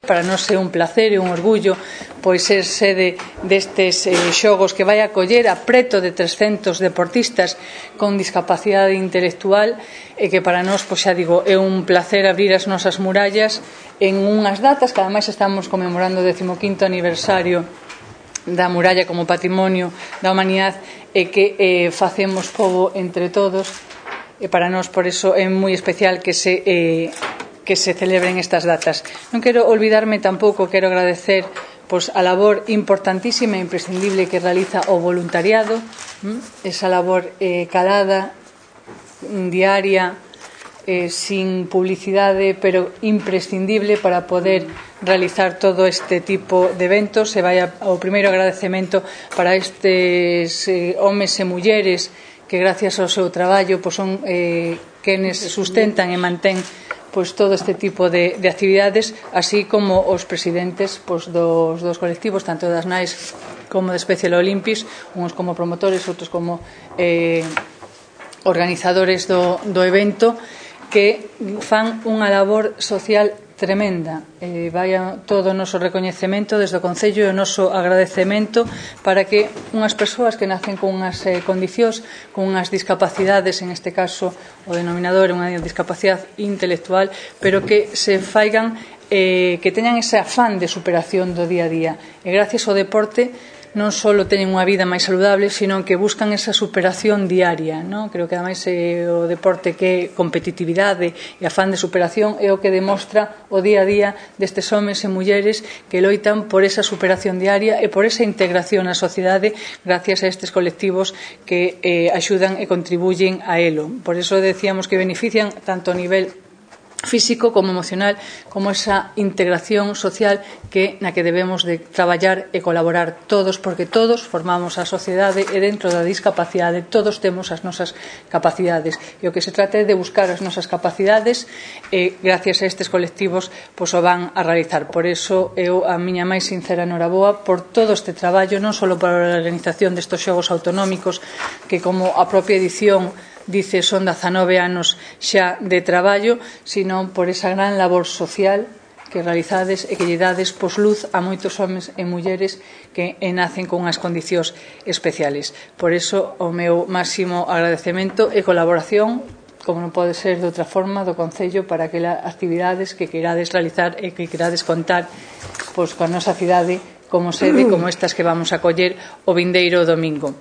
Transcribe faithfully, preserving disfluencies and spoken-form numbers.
para nós é un placer e un orgullo pois ser sede destes eh, xogos que vai acoller a preto de trescentos deportistas con discapacidade intelectual e que para nós, pois xa digo, é un placer abrir as nosas murallas en unhas datas que ademais estamos conmemorando o decimoquinto aniversario da muralla como patrimonio da humanidade e que eh, facemos pobo entre todos e para nós por eso é moi especial que se eh, que se celebren estas datas. Non quero olvidarme tampouco, quero agradecer pois, a labor importantísima e imprescindible que realiza o voluntariado, esa labor eh, calada, diaria, eh, sin publicidade, pero imprescindible para poder realizar todo este tipo de eventos. E vai ao primeiro agradecemento para estes eh, homes e mulleres que gracias ao seu traballo pois, son eh, quenes sustentan e mantén pois, todo este tipo de, de actividades, así como os presidentes pois, dos, dos colectivos, tanto das N A Es como de Special Olympics, uns como promotores, outros como eh, organizadores do, do evento, que fan unha labor social tremenda. Eh, vai todo o noso recoñecemento desde o Concello e o noso agradecemento para que unhas persoas que nacen con unhas eh, condicións, con unhas discapacidades, en este caso o denominador é unha discapacidade intelectual, pero que se faigan, eh, que teñan ese afán de superación do día a día. E gracias ao deporte non só teñen unha vida máis saludable, sino que buscan esa superación diaria, non? Creo que ademais é o deporte que é competitividade e afán de superación é o que demostra o día a día destes homes e mulleres que loitan por esa superación diaria e por esa integración na sociedade gracias a estes colectivos que eh, axudan e contribuyen a elo. Por eso decíamos que benefician tanto a nivel físico como emocional, como esa integración social que na que debemos de traballar e colaborar todos, porque todos formamos a sociedade e dentro da discapacidade todos temos as nosas capacidades e o que se trata é de buscar as nosas capacidades e gracias a estes colectivos pois o van a realizar. Por eso eu a miña máis sincera noraboa por todo este traballo, non só para a organización destes xogos autonómicos que como a propia edición dice son dezanove anos xa de traballo, sino por esa gran labor social que realizades e que lle dades pos luz a moitos homes e mulleres que nacen con unhas condicións especiales. Por iso o meu máximo agradecemento e colaboración, como non pode ser de outra forma, do Concello para aquelas actividades que queirades realizar e que queirades contar pois, con a nosa cidade como sede, como estas que vamos a coller o vindeiro domingo.